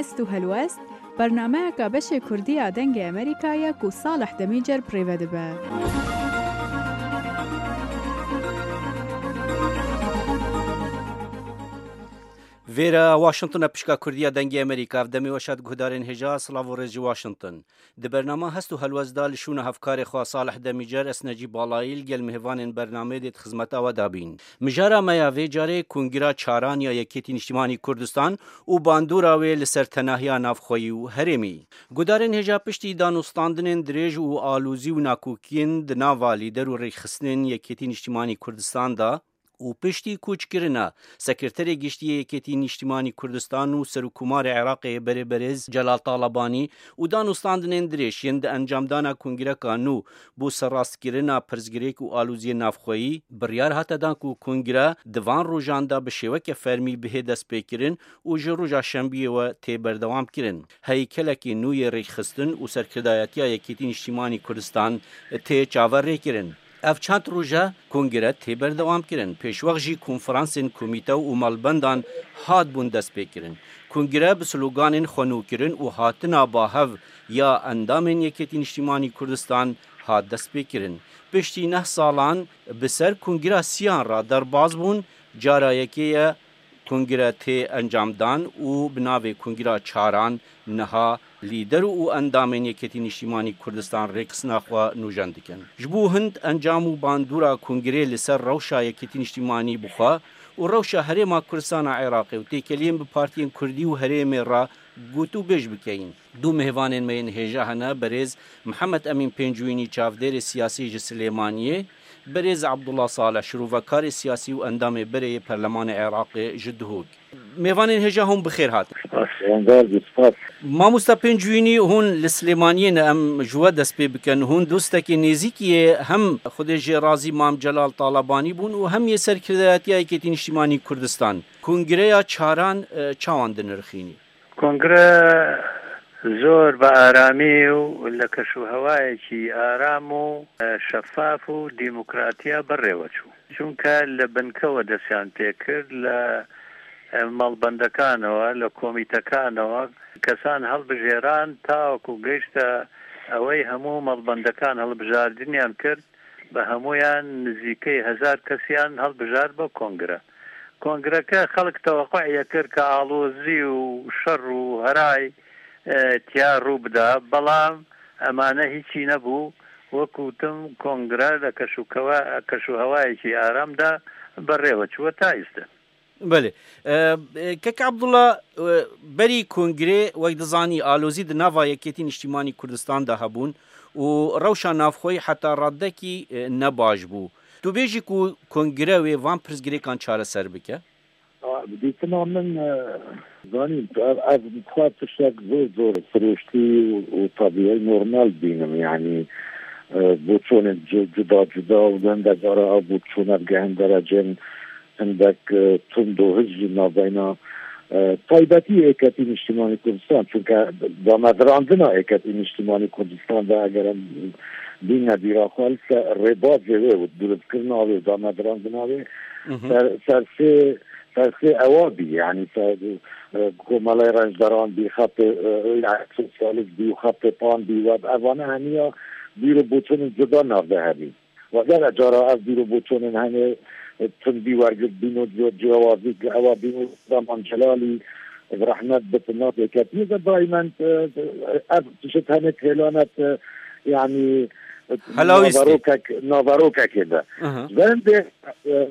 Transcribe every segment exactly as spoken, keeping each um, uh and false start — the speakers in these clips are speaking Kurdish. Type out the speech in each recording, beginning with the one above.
Hest û helwest, bernameyeka beşê Kurdî ya Dengê Amerîka ye ku Salih Demîcer bi rê ve dibe. Vêre Washington e, pişka Kurdî ya Dengê Amerîka. Ev demê weş e, guhdarên hêja, silav û rêz ji Washington. Di bernama Hest û Helwest de li şûna hevkarê xwe Salih Demîcer, ez Necîb Balayî, li gel mêvanên bernameyê dê di xizmeta we de bîn. Mijara me ya vê carê Kongira Çaran ya Yekêtî Niştimanî Kurdistan û bandora wê li ser tenahiya navxweyî û herêmî. Gudarên hêja, piştî danûstandinên dirêj û alozî û nakokiyên di nava lîder û rêkxistinên Yekêtî Niştimanî Kurdistan de û piştî koçkirina Sekreterê Giştî yê Yekêtî Niştimanî Kurdistan û Serokkomarê Iraqê berê berêz Celal Talabanî û danûstandinên dirêj yên di encamdana kongireka nû bo serrastkirina pirsgirêk û aloziyên navxweyî, biryar hate dan ku kongire di van rojan de bi şêweke fermî bihê destpêkirin û ji roja şembiyê we tê berdewamkirin. Heykelekî nû yê rêkxistin û serkirdayetiya Yekêtî Niştimanî Kurdistan tê çaverêkirin. Ev çend roj e kongire tê berdewamkirin. Pêşwext jî konferansên komîte û malbendan hatibûn destpêkirin. Kongire bi sloganên xwenûkirin û hatina bahev ya endamên Yekêtî Niştimanî Kurdistan hat destpêkirin. Piştî neh salan bi ser kongira siyan re derbas bûn, cara yekê ye kongire tê encamdan û bi navê Kongira Çaran niha lîder û endamên Yekêtî Niştimanî Kurdistan rêkxistina xwe nûjen dikin. Ji bo hind encam û bandora kongirê li ser rewşa Yekêtî Niştimanî bi xwe û rewşa Herêma Kurdistana Iraqê û têkeliyên bi partiyên Kurdî û herêmê re gotûbêj bikeyin. Du mêvanên me yên hêja hene, berêz Mihemed Emîn Pêncûyînî, çavdêrê siyasî ji Silêmaniyê, berêz Abdullah Salih, şirovekarê siyasî û endamê berê yê Perlemanê Iraqê ji Duhok. Mêvanên hêja, hûn bi xêr hatin. Spas. Spas. Mamosta Pêncûyînî, hûn li Silêmaniyê ne, em ji we dest pê bikin. Hûn dostekî nêzîkî yê hem Xwedê jê razî Mam Celal Talabanî bûn û hem yê serkirdayetiya Yekêtî Niştimanî Kurdistan. Kongireya çaran, e, çawan dinirxînî? Kongre zor bi aramî û li keşûhewayekî aram û, e, şefaf û demokratiya berê we çû. Çunke li binkewe destyan pê kir, li, e, malbendekanەوە, li komîtekanەوە kesan hilbijêran, tawaku gihişte ewey hemû malbendekan hilbijardiniyan kir, bi hemûyan nizîkey hezar kesiyan hilbijart bo kongre. Kongreke xelk teweqûyê kir ke alozî û şer û heray, e, tiya rû bida, belam emane hîçî nebû. Wek gotim, kongre li keşûkewe-, keşûhewayekî aram de berê we çû, we ta îste. Belê. E, e, Kek Abdullah, e, berî kongrê, wek dizanî, alozî di nava Yekêtî Niştimanî Kurdistan de hebûn û rewşa navxweyî heta radekî, e, ne baş bû. Tu bêjî ku kongre wê van pirsgirêkan çareser bike? A, bi dîtina min, e, zanî, ev, ev xwe tiştek zor, zor sirûştî û, û tebîî normal dibînim. Yanî, e, boçonên cu-, cuda cuda û hindek cara ev boçûne digehin derecên hindek, e, tund û hij jî navbeyna, e, taybetî Yeketî Niştimanî Kurdistan, çunke damedirandina Yeketî Niştimanî Kurdistan de eger em bîne bîra xwe, li ser rêbazê wê û durustkirina wê û damedirandina wê, Mhm. ser, ser sê, ser sê ewa bî, yanî ser, e, Komelay Rencderan bî, xetê, e, yani sosyalist bî û xetê pan bî, we evane hemiya bîr û boçonên cuda nav de hebî. Wegere cara ev bîr û boçonên hene, e, tundî wergirt bîn û ci-, ciyawazî li ewa bîn û Reman Celalî bi rehmet bitin nav yeketiyê de daimen, e, ev tişt hene hêlanet, e, yani, e, Helawîstî. naverokek, naverokekê de. Aha. Ji ber hindê, e,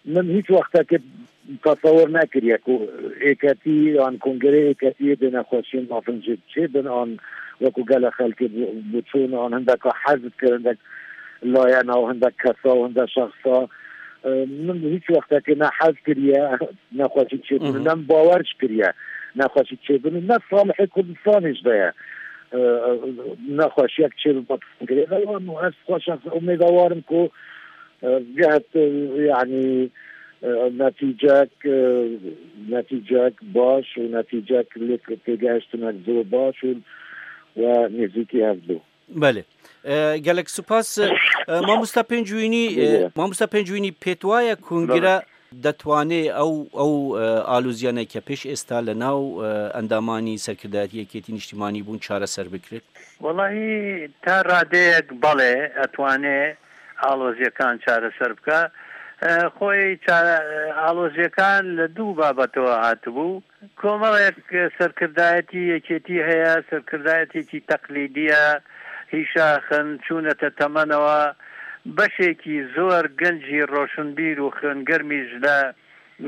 min hîç wextekê tesewir nekiriye ku êketî yan kongerê êketiyê dê nexweşiyên mafin jê çêbin an wekî gelek xelkê bi, biçûn an hindeka hez dikir, hindek layena û hindek kesa û hindek şexsa. E, min hîç wextekê ne hez kiriye nexweşî çêbin û Mhm. ne min bawer jî kiriye nexweşî çêbin û ne salihê Kurdistanê jî de ye. E, nexweşiyek çêbibe kongerê de wan û ez xwe şexsen umêdewar im ku, e, gehet, e, yani, e, netîcek, e, netîcek baş û netîcek lê têgehiştinek zor baş û we nêzîkî hev bû. Belê. E, gelek spas. E, Mamosta Pêncûyînî, e, Belê. Mamosta Pêncûyînî, pêt waye kongire, Belê. دەتوانێ ئەو، ئەو، ئە، ئالۆزیانەی کە پێش ئێستا لە ناو، ئە، ئەندامانی سەرکردایەتی یەکێتی نیشتیمانی بوون چارەسەر بکرێت؟ وەڵاهی تا ڕادەیەک بەڵێ ئەتوانێ ئاڵۆزیەکان چارەسەر بکە. ئە، خۆی چا-، ئاڵۆزیەکان لە دوو بابەتەوە هاتبوو. کۆمەڵێک سەرکردایەتی یەکێتی هەیە، سەرکردایەتێکی تەقلیدیە، هیشاخن، چوونەتە تەمەنەوە. بەشێکی زۆر گەنجی ڕۆشنبیر و خوێنگەرمیش لە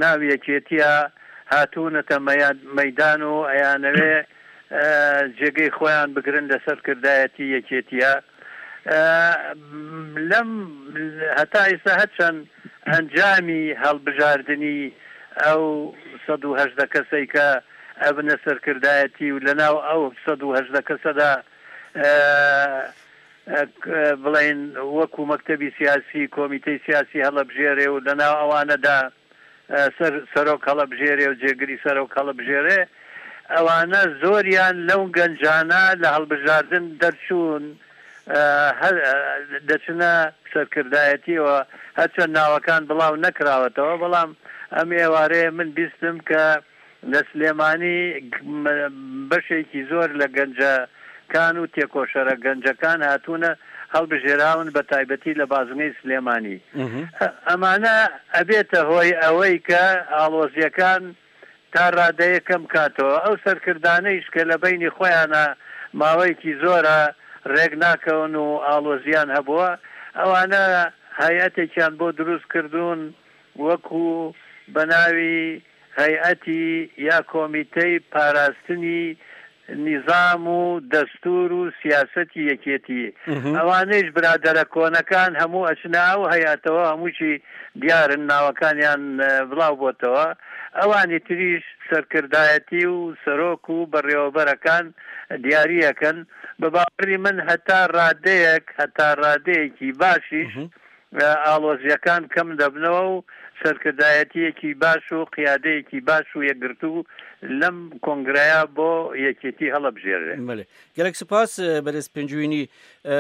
ناو یەکێتیە هاتوونەتە مەیان-، مەیدان و ئەیانەوێ، ئە، جێگەی خۆیان بگرن لە سەرکردایەتی یەکێتیە. ئە، لەم هەتا ئێستا هەرچەند ئەنجامی هەڵبژاردنی ئەو سەد و هەژدە کەسەی کە ئەبنە سەرکردایەتی و لە ناو ئەو سەد و هەژدە کەسەدا، ئە، ئە، بڵێن وەکو مەکتەبی سیاسی، کۆمیتەی سیاسی هەڵەبژێرێ و لە ناو ئەوانەدا، ئە، سەر-، سەرۆک هەڵەبژێرێ و جێگری سەرۆک هەڵەبژێرێ، ئەوانە زۆریان لەو گەنجانە لە هەڵبژاردن دەرچوون، ئە، هەر، ئە، دەچنە سەرکردایەتیەوە، هەرچەند ناوەکان بڵاو نەکراوەتەوە، بەڵام ئەم ئێوارەیە من بیستم کە لە سلێمانی گ-، م-، بەشێکی زۆر لە گەنجەکان و تێکۆشەرە گەنجەکان هاتوونە هەڵبژێراون، بە تایبەتی لە بازنەی سلێمانی. مهم. ئە-، ئەمانە ئەبێتە هۆی ئەوەی کە ئاڵۆزیەکان تا ڕادەیە کەم کاتەوە. ئەو سەرکردانەیش کە لە بینی خۆیانە ماوەیەکی زۆرە ڕێک ناکەون و ئاڵۆزیان هەبووە، ئەوانە هەیئەتێکیان بۆ دروست کردوون، وەکو بە ناوی هەیئەتی یا کۆمیتەی پاراستنی نیزام و دەستور و سیاسەتی یەکێتی. مهم. ئەوانەیش برادەرە کۆنەکان هەموو ئەچنە ئەو هەیئەتەوە، هەمووشی دیارن، ناوەکانیان، ئە، بڵاو بۆتەوە. ئەوانی تریش سەرکردایەتی و سەرۆک و بەڕێوەبەرەکان دیاریەکەن. بە باوەڕی من هەتا ڕادەیەک، هەتا ڕادەیەکی باشیش، مهم. ئە، ئاڵۆزیەکان کەم دەبنەوە و سەرکردایەتیەکی باش و قیادەیەکی باش و یەکگرتوو لەم کۆنگرەیە بۆ یەکێتی هەڵەبژێرێ. بەڵێ. گەلەک سپاس، ئە، بەرێز پێنجوینی. ئە،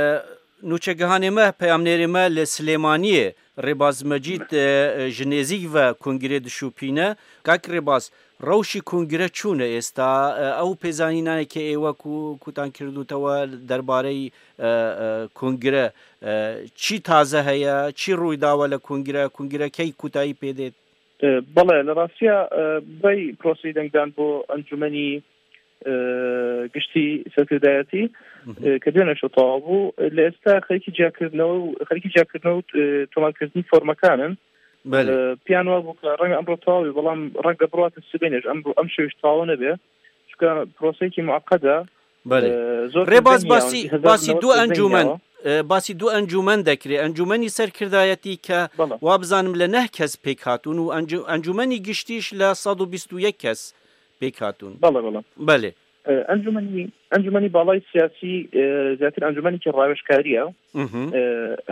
نوچەگەهانێ مە، پەیامنێرێ مە لە سلێمانیە، ڕێباز مەجید، ئە، ژ نێزیک ڤە کۆنگرێ دشوپینە. کاک ڕێباز، ڕەوشی کۆنگرە چوونە ئێستا؟ ئە، ئەو پێزانینانە کە ئێوە کو-، کوتان کردوتەوە دەربارەی، ئە، ئە، کۆنگرە، ئە، چی تازە هەیە؟ چی ڕووی داوە لە کۆنگرە؟ کۆنگرە کەی کوتایی پێدێت؟ ئە، بەڵێ، لە ڕاستیە، ئە، بەی پرۆسەی دەنگدان بۆ ئەنجومەنی، ئە، گشتی سەرکردایەتی، مهم. ئە، کە دوێنێ شەو تەواو بوو، لە ئێستا خەریکی جیاکردنەوە و خەریکی جیاکردنەوە و، ئە، تۆمارکردنی فۆرمەکانن. بەڵێ. ئە، پیان وا بوو کە ڕەنگە ئەمڕۆ تەواو بێ، بەڵام ڕەنگە بڕواتە سبەینێش، ئەم، ئەم شەویش تەواو نەبێ، چونکە پرۆسەیەکی معقدە. بەڵێ. ئە، زۆر ڕێباز کردنی باسی، یاوە، هەزار باسی نەوەد دوو ئەنجومەن، کردنیەوە. ئە، باسی دوو ئەنجومەن دەکرێ. ئەنجومەنی سەرکردایەتی کە بەڵێ. وا بزانم لە نەه کەس پێک هاتوون و ئەنجو-، ئەنجومەنی گشتیش لە سەد و بیست و یەک کەس پێک هاتوون. بەڵێ، بەڵێ. بەڵێ. ئە، ئەنجومەنی، ئەنجومەنی باڵای سیاسی، ئە، زیاتر ئەنجومەنێکی ڕاوێژکاریە. مهم. ئە،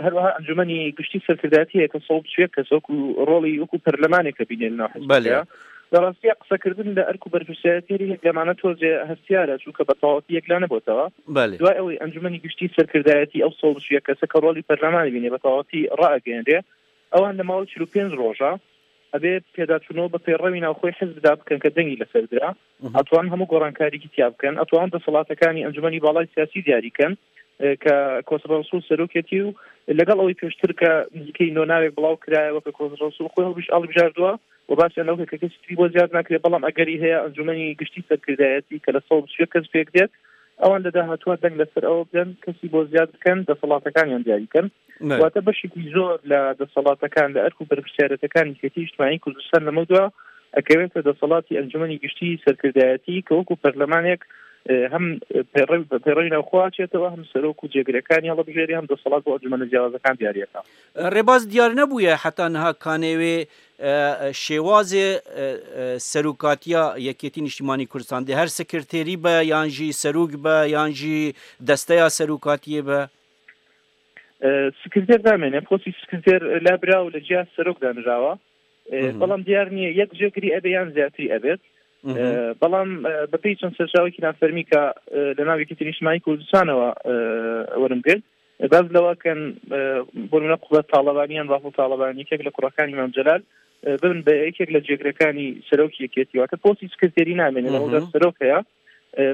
هەروەها ئەنجومەنی گشتی سەرکردایەتی هەیە کە سەد و بیست و یەک کەس وەکو ڕۆڵی وەکو پەرلەمانێک کە بینێ لە ناو حزبەکەیە. بەڵێ. لە ڕاستیە قسەکردن لە ئەرک و بەرپرسیارەتی هەر یەک لەمانە تۆزێ هەستیارە، چونکە بە تەواوەتی یەکلا نەبۆتەوە. بەڵێ. دوای ئەوەی ئەنجومەنی گشتی سەرکردایەتی ئەو سەد و بیست و یەک کەسە کە ڕۆڵی پەرلەمانی بینێ بە تەواوەتی ڕائەگەیەنرێ، ئەوان لە ماوەی چل و پێنج ڕۆژە ئەبێ پێداچوونەوە بە پەیڕەوی ناوخۆی حزبدا بکەن کە دەنگی لەسەر درا. مهم. ئەتوان هەموو گۆڕانکاریکی تیا بکەن، ئەتوان دەسەڵاتەکانی ئەنجومەنی باڵای سیاسی دیاری کەن، ئە، کە کۆسرە ڕسوول سەرۆکێتی و لەگەڵ ئەوەی پێشتر کە نزیکەی نۆ ناوێک بڵاو کرایەوە کە کۆسرە ڕسوول خۆی هەڵبژ-، هەڵبژاردووە و باسیان لەو کە کەسی تری بۆ زیاد ناکرێت، بەڵام ئەگەری هەیە ئەنجومەنی گشتی سەرکردایەتی کە لە سەد و بیست و یەک کەس پێک دێت، ئەوان لە داهاتووە دەنگ لەسەر ئەوە بدەن کەسی بۆ زیاد بکەن، دەسەڵاتەکانیان دیاری کەن. بەڵێ. واتە بەشێکی زۆر لە دەسەڵاتەکان، لە ئەرک و بەرپرسیارەتەکانی یەکێتی نیشتیمانی کوردستان لەمەودا ئەکەوێتە دەسەڵاتی ئەنجومەنی گشتی سەرکردایەتی کە وەکو پەرلەمانێک، ئە، هەم پەیڕەوی، پەیڕەوی ناوخۆ ئاچێتەوە، هەم سەرۆک و جێگرەکانی هەڵەبژێری، هەم دەسەڵات بۆ ئەنجومەنە جیاوازەکان دیاریەکە. ڕێباز دیار نەبووە هەتا نها کانێوێ، ئە، شێوازێ، ئە، ئە، سەرۆکاتیە یەکێتی نیشتیمانی کوردستان دێ هەر سکرتێری بە، یان ژی سەرۆک بە، یان ژی دەستەیە سەرۆکاتیە بە؟ ئە، سکرتێر دامێنێ، پۆستی سکرتێر لابرا و لە جیا سەرۆک دانراوە. ئە، مهم. بەڵام دیار نییە یەک جێگری ئەبێ یان زیاتری ئەبێت. مهم. ئە، بەڵام، ئە، بە پێی چەند سەرچاوێکی نافەرمی کە، ئە، لە ناو یەکێتی نیشتیمانی کوردستانەوە، ئە، وەرم گرت، باز لەوە کەن، ئە، بۆ نمونە قوبەت تاڵەبانی یان بافڵ تاڵەبانی، یەکێک لە کوڕەکانی مام جەلال، ببن بە یەکێک لە جێگرەکانی سەرۆکی یەکێتی، واتە پۆستی سکرتێری نامێنێ، لە مەودا سەرۆک هەیە.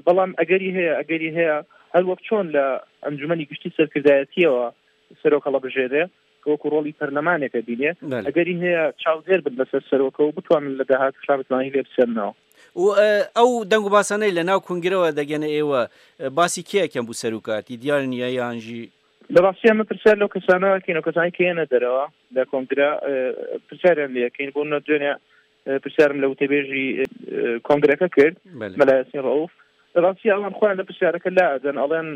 بەڵام ئەگەری هەیە، ئەگەری هەیە هەر وەک چۆن لە ئەنجومەنی گشتی سەرکردایەتیەوە سەرۆک هەڵەبژێرێ، کە وەکو ڕۆڵی پەرلەمانێکە بینێ، ئەگەری هەیە چاودێر بن لەسەر سەرۆکە و بتوانن لە داهاتووشا بتوانین لێ بچێنەوە. و ئەو دەنگ و باسانەی لە ناو کونگرەوە دەگەنە ئێوە، باسی کێ ئەکەن بوو سەرۆکاتی دیار نییە یان ژی؟ لە ڕاستی ئەمە پرسیار لەو کەسانەوە کەین، ئەو کەسانی کە یەنە دەرەوە لە کۆنگرا، پرسیاریان لێ ئەکەین. بۆ منە دوێنێ پرسیارم لە وتەبێژی کۆنگرەکە کرد، مەلا یاسین ڕەوف. لە ڕاستی ئەوان خۆیان لە پرسیارەکە لا ئەدەن، ئەڵێن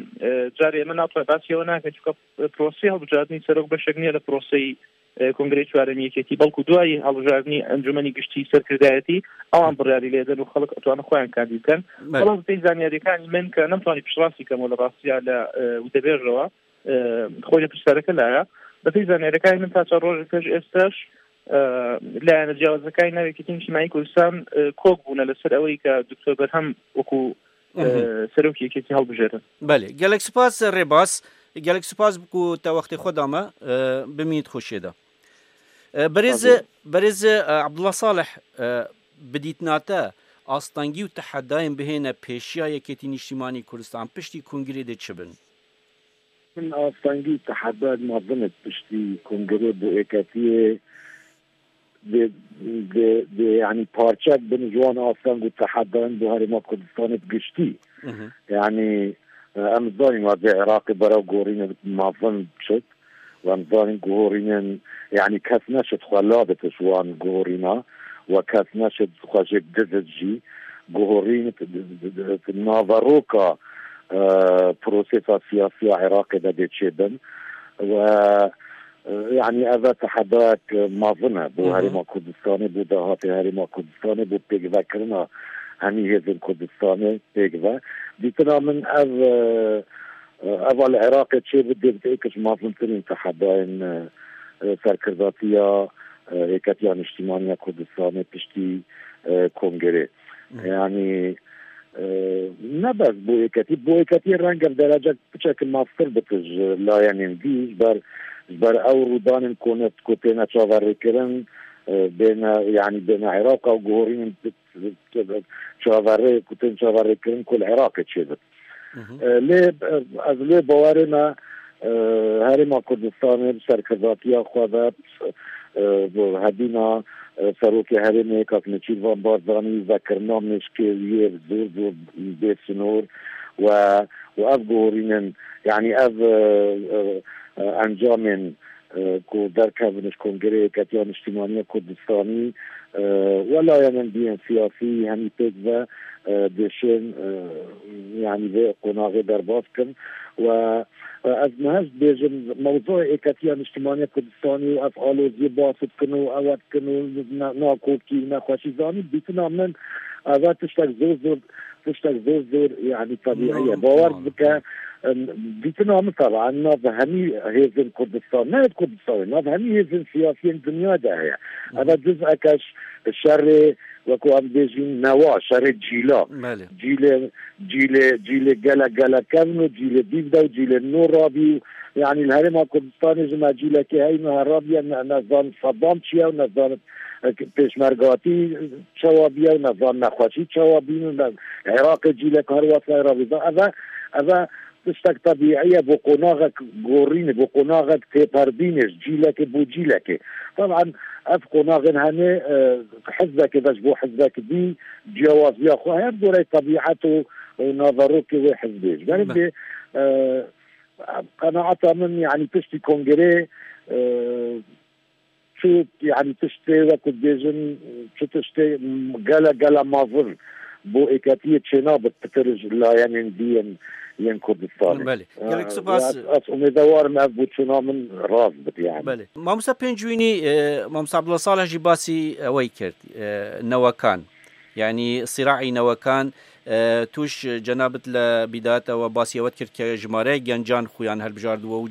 جارێ ئەمە ناتوانێت باسی ئەوە ناکەن، چونکە پرۆسەی هەڵبژاردنی سەرۆک بەشێک نییە لە پرۆسەی کۆنگرەی چوارەمی یەکێتی، بەڵکو دوای هەڵبژاردنی ئەنجومەنی گشتی سەرکردایەتی ئەوان بڕیاری لێدەن و خەڵک ئەتوانە خۆیان کاندید بکەن. بەڵام بەپێی زانیاریەکانی من کە نەمتوانی پشتڕاستی کەمەوە لە ڕاستیا لە وتەبێژەوە، خۆی لە پرسیارەکە لایە. بەپێی زانیاریەکانی من تا چەند ڕۆژی پێش ئێستاش لایەنە جیاوازەکانی ناو یەکێتی نیشتیمانی کوردستان کۆک بوونە لەسەر ئەوەی کە دکتۆر بەرهەم وەکو سەرۆکی یەکێتی هەڵبژێرن. بەێ، گەلێک سوپاس ڕێباس، گەلێک سوپاس بکو تە وەختی خۆدامە بمینیت خۆشێدا. بەرێز بەرێز عبدڵە ساڵح، بدیتناتە ئاستانگی و تەحەدایان بهێنە پێشیا یەکێتی نیشتیمانی کوردستان پشتی کونگرێ دێ چ بن؟ من ئاستانگی و تەحەدایان مەڤنت پشتی کونگرێ بۆ ئێکەتیە دێ، دێ، دێ، یعنی پارچەک بن جوان ئاستانگ و تەحەدایان بۆ هەرێما کوردستانێت گشتی. یعنی ئەم زانین وەزێ عێراقی بەرەو گۆڕینە مەڤن بچێت. و ئەم زانین گۆڕینن، یعنی کەس نەشت خۆ لا بتش وان گۆڕینا و کەس نەشت خۆشێک دزت ژی گۆڕین ناڤەڕۆکە پرۆسێسا سیاسیە عێراقێ دەبێ چێ بن. و یعنی ئەڤە تەحەدایەک مەڤنە بۆ هەرێما کوردستانێ، بۆ داهاتێ هەرێما کوردستانێ، بۆ پێکڤەکردنا هەمی هێزن کوردستانێ پێکڤە. دیتنا من ئەڤ ئەڤا لە عێراقێ چێ بدێ بتێ کەش مەڤنترین تەحەدایەن سەرکرداتیە یەکەتیە نیشتیمانیە کوردستانێ پشتی کۆنگرێ. یعنی نەبەس بۆ یەکەتی، بۆ یەکەتی ڕەنگە دەرەجە بچەکە ماستر بتش لایەنین دی ژبەر، ژبەر ئەو ڕوودانین کۆنێت کۆ تێنە چاوەڕێکردن بێنە، یعنی بێنە عێراق و گۆڕین چاوەڕێ کوتێن چاوەڕێکردن کۆل عێراقێ چێ بێت. لێ ئەز لێ باوەرێمە هەرێما کوردستانێ سەرکرداتیە خۆ بە هەدینا سەرۆکی هەرێمێ کاک نێچیروان بارزانی ڤەکردنا مێشکێ ویە زۆر زۆر بێ سنوور و و ئەڤ گۆڕینن، یعنی ئەڤ ئەنجامێن کو دەرکەڤنش کۆنگرەیە یەکەتیە نیشتیمانیە کوردستانی و لایەنن دیەن سیاسی هەمی پێک ڤە دێشێن، یعنی ڤێ قۆناغێ دەرباز کن و ئەز مەهەشت بێژم مەوزوع یەکەتیە نیشتیمانیە کوردستانی و ئەف ئالۆزیە باس بکن و ئەوە بکن و ناکۆکی و نەخۆشی زانی بیتنا من ئەوە تشتێک زۆر زۆر تشتێک زۆر زۆر یعنی طبیعیە باوەر بکە. دیتنا من طبعا ناو هەمی هێزن کوردستان، نه کوردستان، ناو هەمی هێزن سیاسیین دنیا ده هەیە. ئەوە جز ئەکەش شەڕێ وەکو ئەم بێژین نەوا شەڕێ جیلا. جیلێ جیلێ جیلێ گەلە گەلە کەون و جیلێ دیڤدا و جیلێ نۆ ڕابی و یعنی لە هەرێما کوردستانی ژمە جیلەکە هەین و هەڕابیە نەزان سەدام چیە و نەزان پێشمەرگاتی چاوا بیە و نەزان نەخۆشی چاوا بین و عێراقی جیلەک هەروەسای ڕابیدا ئەڤە ئەڤە تشتێک طبیعیە بۆ قۆناغێک گۆڕینێ بۆ قۆناغێک تێپەردینێش جیلەکێ بۆ جیلەکێ. طبعا ئەف قۆناغێن هەنێ حزبەکێ بەش بۆ حزبەکە دی جیاوازیا خۆ هەیە گۆرەی طبیعەت و ناڤەڕۆکێ وێ حزبێش بەرم بێ قەناعەتا من یعنی پشتی کۆنگرێ چ یعنی تشتێ وەکو دێژن چ تشتێ گەلە گەلە ماڤن بۆ ئێکەتیە چێنا بت پترژ لایەنێن دیەن یەن کوردستان. بەێ، گەلێک سپاس. ئەس ئومێدەوارم ئەف بۆ چونا من ڕاست بت یعنی. بەێ، مامۆستا پێنجوینی مامۆستا عبدڵە ساڵح ژی باسی ئەوەی کرد نەوەکان یعنی سیراعی نەوەکان توش جەنابت لە بیداتەوە باسی ئەوەت کرد کە ژمارەیە گەنجان خۆیان هەلبژاردووە و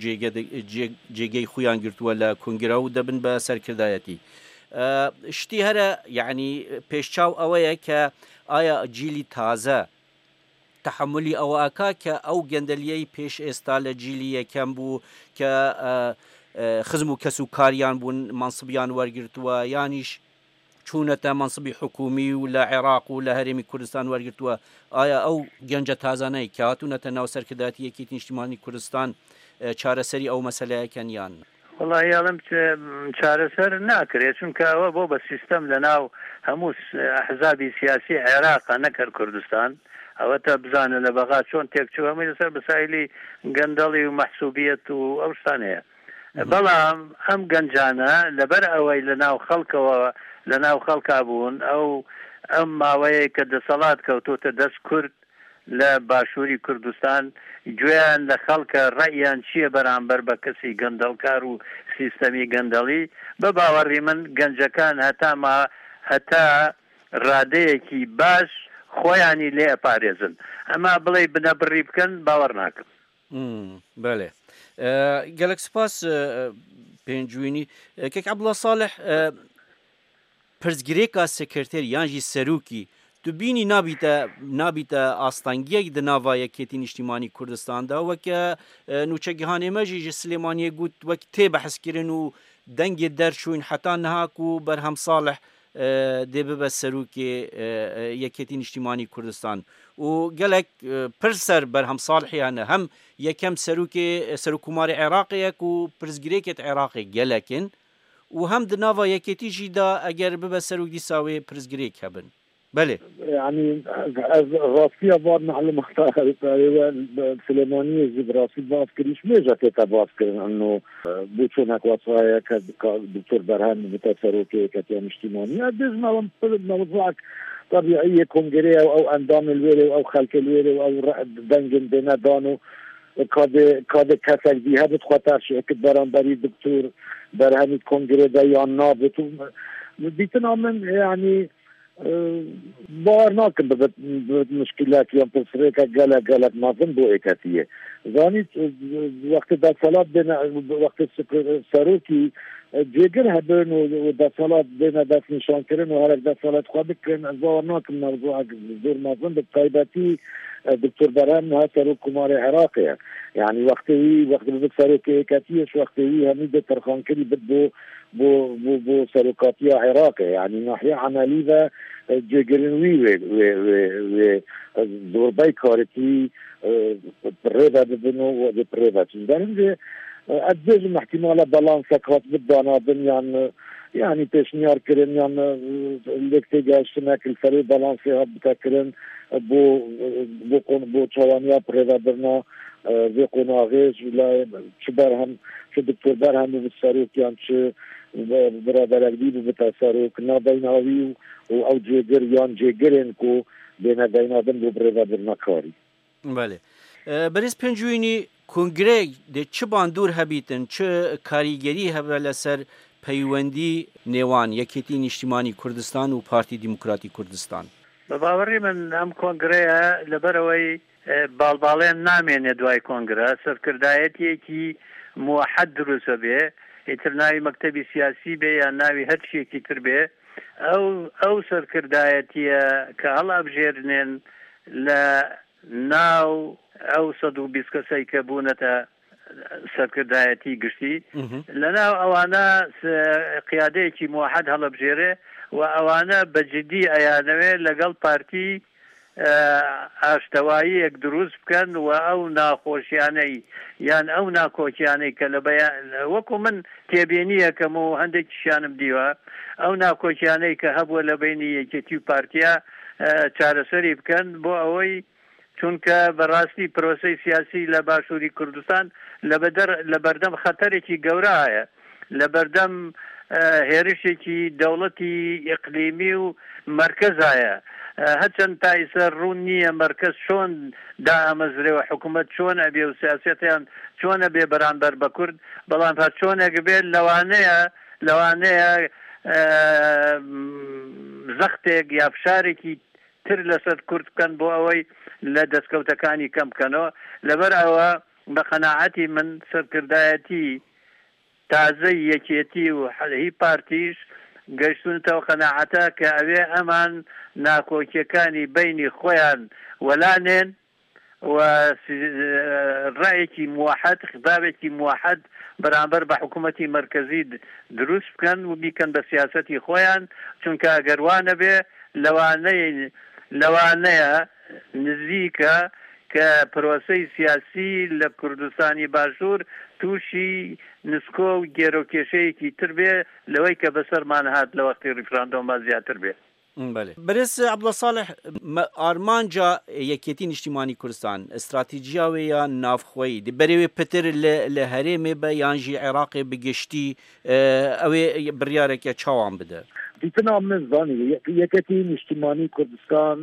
جێگەی خۆیان گرتووە لە کونگرە و دەبن بە سەرکردایەتی. شتی هەرە یعنی پێشچاو ئەوەیە کە ئایا جیلی تازە تەحەمولی ئەوە ئەکا کە ئەو گەندەلیەی پێش ئێستا لە جیلی یەکەم بوو کە e, xizm û kesûkariyan bûn, mansibiyan wergirtuwe, yanîş çûnete mansibî hikûmî û li Iraq û li Herêmî Kurdistan wergirtuwe. Aya ew gence tazaneyê ke hatûnete nav serkirdayetî Yekîtî Niştimanî Kurdistan, e, çareserî ew meseleyekin yan? Welahi, alim ç-, çareser nakirê, çunke ewe bo be sîstem li nav hemû s-, ehzabî siyasî Iraq e, ne ker Kurdistan. Ewe te bizane li bexa çon têk çû, hemû li ser bisaîlî gendelî û mehsûbiyet û ew ştanê ye. Hı hı. Belam em gencane li ber ewey li nav xelkewe, li nav xelka bûn, ew em maweyê ke deselat kewtote dest Kurd li başûrî Kurdistan, guyan li xelke reyan çi ye beramber be kesî gendelkar û sîstemî gendelî, bi bawerî min gencekan heta ma, heta radeyekî baş xweyanî lê eparêzin. Ema bilê binebirî bikin, bawer nakim. Hmm, belê. E, gelek spas, e, Pêncwînî. E, Kek Abdullah Salih, e, pirsgirêka sekreterî yan jî serokî, tu bînî nabîte, nabîte astengiyek di nava Yekêtî Niştîmanî Kurdistan de. Weke, e, nûçegihanê me jî ji Silêmaniyê got, wek tê behskirin û dengê derçûyîn heta niha ku Berhem Salih, e, dê bibe serokê, e, e, Yekêtî Niştîmanî Kurdistan. Û gelek, e, pirs ser Berhem Salihê hene. Hem yekem serokê, e, Serokkomarê Iraqê ye ku pirsgirêkê di Iraqê gelek in. Û hem di nava yekêtî jî de eger bibe serok dîsa wê pirsgirêk hebin. Belê. Yani ez, ez rastiya van malumata Silêmaniyê jî bi rastî baz kirîş mêje tête baz kirin. Eno, e, bu çonek wesayê ke, ke Doktor Berhem bite serokê Yeketiya Niştimanî. Ez bêjim ew pir mewzuak tabiî yê kongreyê û ew endamên wêrê û ew xelkê wêrê û ew re-, dengên dêne dan û kadê, kadê kesek dî hebit xwe terşîh kit beramberî Doktor Berhemî kongrê de yan nabit û dîtina min, yani, e, bawer nakim bibit, bibit muşkilek yan pirsgirêkek gelek, gelek mezin bo êketiyê. Zanît, e, wextê desthilat bêne, wextê sik-, serokî, e, cêgir hebin û, û desthilat bêne destnîşankirin û herek desthilat xwe bikin, ez bawer nakim mewzuek zor mezin bi taybetî, e, Doktor Berhem niha Serokkomarê Iraqê ye. Yani wextê wî, wextê bibit serokê êketiyê, ji wextê wî hemî dê terxankirî bit bo, bo, bo, bo serokatiya Iraqê. Yani nahiya emelî ve, e, cêgirin wî wê, wê, wê, wê, e, zorbey karitî, e, rê ve bibin û wê rê ve çi. Ji ber hindê, e, ez dibêjim ihtimale balansek hatibit danadin yan, e, yani pêşniyar kirin yan, e, lêk têgehiştinek li serê balansê hat bite kirin, e, bo, e, bo kon-, bo çawaniya birêvebirina, e, vê qonaxê ji layê çi Berhem, çi Doktor Berhem bibit serok yan çi be-, biraderek dî bibite serok, nabeyna wî û, û ew cêgir yan cêgirên ku bêne deyna din bo birêvebirina karî. Belê. E, berêz Pêncûyînî, kongreyê de çi bandor hebîtin, çi karîgerî hebe li ser peywendî nêwan Yekêtî Nîştîmanî Kurdistan û Partî Demokratî Kurdistan? Bi bawerî min em kongreya li ber ewey, e, balbalên namêne duay kongre, serkirdayetiyekî muwehed dirust bê, îtir navî mektebî siyasî bê ya navî her tiştekî tir bê, ew, ew serkirdayetiye ke hilabijêrinên li nav ew sed û bîst kesey ke bûnete serkirdayetî giştî. Mhm. Li nav ewana se-, qiyadeyekî muwehed hilibijêre û ewana bi cidî eyanewê legel partî, e, aştewayiyek dirust bikin û ew naxweşiyaney yan ew nakokiyaney ke li beya-, wekû min têbînî ye ke min hindek kişiyanim dîwa, ew nakokiyaney ke hebû li beynî yekêtî û partiya, e, çareserî bikin bo ewey Çunke bi rastî proseyê siyasî li Başûrî Kurdistan li beder-, li berdem xeterekî gewre heye. Li berdem, e, hêrişekî dewletî îqlîmî û merkeza ye. E, her çend ta îser rûn nîye merkez çon daamezre û hikûmet çon ebê û siyasetiyan çon ebê beramber bi Kurd, belam her çonek bê lewane ye, lewane ye, e, zextek ya fişarekî tir li ser Kurd bikin bo ewey li destkewtekanî kem bikeno. Li ber ewe bi qenaetî min serkirdayetî tazeyî yekêtî û hî partî jî gehiştûnite ew qenaete ke ewê eman nakokyekanî beynî xweyan welanên û si-, reyekî muwehed, xitabekî muwehed بەرامبەر بە حکوومەتی مەرکەزی دروست بکەن و بیکەن بە سیاسەتی خۆیان، چونکە ئەگەر وا نەبێ، لەوانەیە لەوانەیە نزیکە کە پرۆسەی سیاسی لە کوردستانی باشوور تووشی نسکۆ و گێرۆکێشەیەکی تر بێ لەوەی کە بەسەرمان هات لە وەختی ریفراندۆمە زیاتر بێ. بەێ برێز عبدڵە ساڵح، ئارمانجا یەکێتی نیشتیمانی کوردستان، استراتیجیا وێ یا نافخۆیی دی بەرێوێ پتر لە هەرێمێ بە یانژی عێراقێ بگشتی، ئەوێ بڕیارێکە چاوان بدە؟ دیتنا من زانی یەکێتی نیشتیمانی کوردستان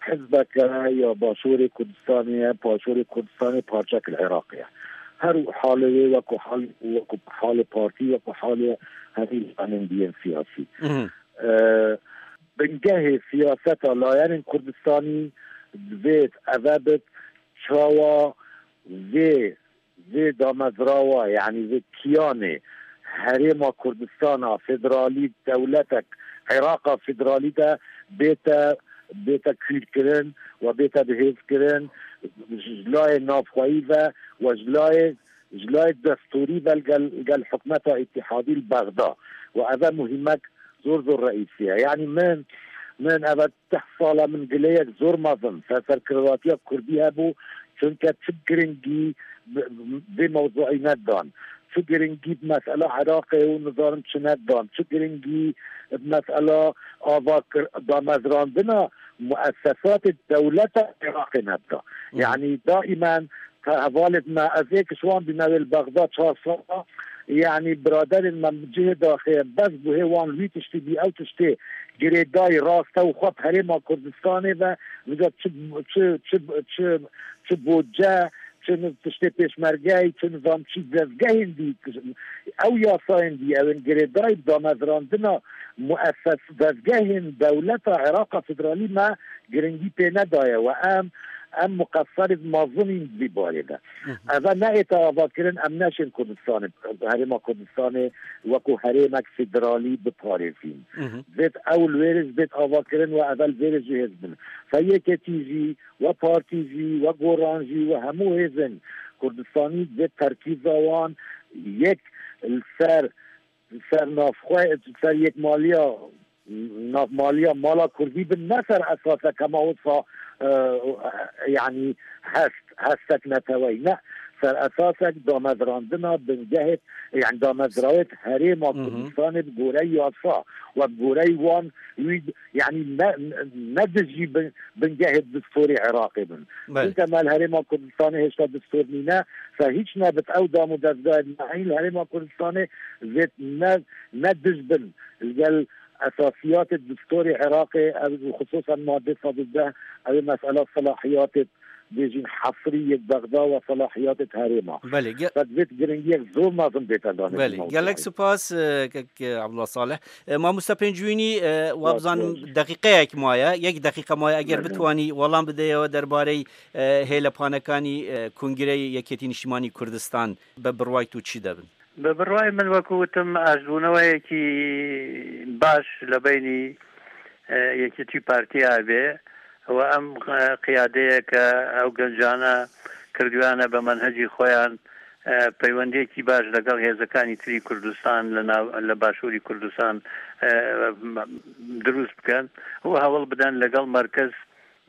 حزبەکە یا باشووری کوردستانیە، باشووری کوردستانی پارچەک لە عێراقیە. هەر حاڵێ وەکو حاڵ وەکو حاڵی پارتی وەکو حاڵێ هەری ئەنندیەن سیاسی. بنگەهێ سیاسەتا لایەنên Kurdistanî divêt eve bit çawa vê vê damezrawa, yanî vê kiyanê Herêma Kurdistana Federalî, dewletek Îraqa Federalî de bête bête kûrkirin we bête bihêvkirin ji layê navxweyî ve we ji layê ji layê destûrî ve gel gel hikûmeta îtîhadî li Bexda we eve muhîmek zor zor reîsî ye. Yanî min min eve deh sal e min gileyek zor mezin ser serkirdatiya kurdî hebû, çunke çi giringî vê mewzuî nedan, çi giringî bi mesela Iraqê û nizanim çi nedan, çi giringî bi mesela ava damezrandina muessesatê dewleta Iraqê nedida. Yanî daîmen hevalêt me, ez ê ki ji wan bîne wê li Bexda çar sala, yanî biraderên me cihê daxê bes bû hê wan wî tiştî bî, ew tiştê girêdayî rast e û xwe bi Herêma Kurdistanê ve vêca çi çi çi çi çi boce, çi tiştê pêşmergeyî, çi nizam çi dezgehên dî, ew yasayên dî, ew ên girêdayî bi damezrandina muesses dezgehên dewleta Iraqa Federalî me giringî pê nedaye we em em muqesserê mezin în di vî barê de. Eve neête avakirin em neşên Kurdistanê, Herêma Kurdistanê wekû herêmek federalî biparêzîn. Divêt ew li wêrê ji bêt avakirin we eve li vêrê jihêz bin. Fe yeketî jî, we partî jî, we goran jî, we hemû hêzên Kurdistanî divêt terkîza wan yek li ser ser navxwe ser yekmaliya navmaliya mala kurdî bin, ne ser esasek hema wisa yanî hest hestek neteweyî, ne, ser esasek damezrandina bingehê, yanî damezrawêt herêma Kurdistanê bi gorey yasa we bi gorey wan wî yanî ne ne dijî bingehê distûrê Iraqê bin. Çunke me li herêma Kurdistanê hêşta distûr nîne, se hîç nebit ew dam û dezgahê me heyî li herêma Kurdistanê zêd ne ne dij bin li gel esasiyatê distûrê Iraqê, ev xisûsen madde sed û deh, ew ê mesela selahiyatê bêjîn hesrî yê Bexda we selahiyatê herêma. Belê, ge- Qed vê giringiyek zor mezin bête danê. Belê, gelek spas, e, kek, e, Abdullah Salih. E, mamoste Pêncûnî, e, wa bizanim deqîqeyek maye, yek deqîqe maye, eger bitwanî welam bideyê we derbarey, e, hêlepanekanî, e, Kongreyê Yekêtî Niştimanî Kurdistan, be birway tu çi debin? Bi birwayê min, wekû witim, aşbûneweyekî baş li beynî, e, Yekîtî Partiya bê û em, e, qiyadeyeke ew gencane kirduyane bi menhecî xweyan, e, peywendiyekî baş legal hêzekani tirî Kurdistan li nav, li başûrî Kurdistan, e, dirûst bikin û hewl biden legal merkez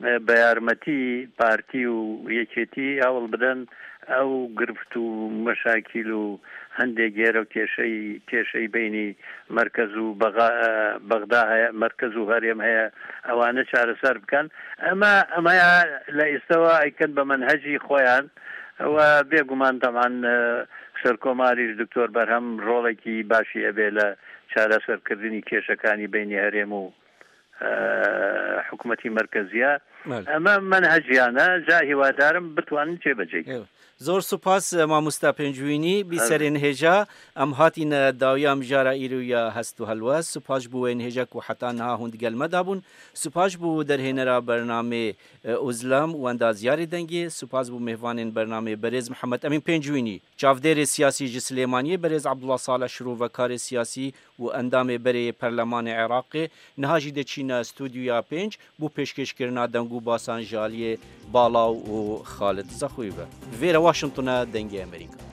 e, bi yarmetî partî û yekêtî hewl bidin ew girft û meşakîl û hindê gêro kêşeyî, kêşeyî beynî merkez û Bega-, e, Bexda heye, merkez û herêm heye, ewane çareser bikin. Ema, ema ya li îstewa eykin bi menhecî xweyan we bêguman teman, e, Serkomarî ji Doktor Berhem rolekî başî ebê li çareserkirdinî kêşekanî beynî herêm û e, hikûmetî merkezî ye. Belê. Eme menheciyan e, ca hîwadarim bitwanin cêbecê bikin. Zor spas, e, mamosta Pêncûnî, bî serên hêja, em hatîne dawiya mijara îro ya hest û helwest. Spas ji bo wê hêja ku heta niha hûn digel me dabûn. Spas ji bo derhênera bernamê, e, Ozlem û endazyarê dengê. Spas ji bo mêvanên bernamê berêz Mihemed Emîn Pêncûnî, çavdêrê siyasî ji Silêmaniyê, berêz Abdullah Salih, şirovekarê siyasî û endamê berê yê Perlemanê Iraqê, niha jî diçîne stûdyoya pênc bo pêşkêşkirina deng û basan ji aliyê Balaw û Xalid Zexwî ve. Vêre Washington e, Dengê Amerîka.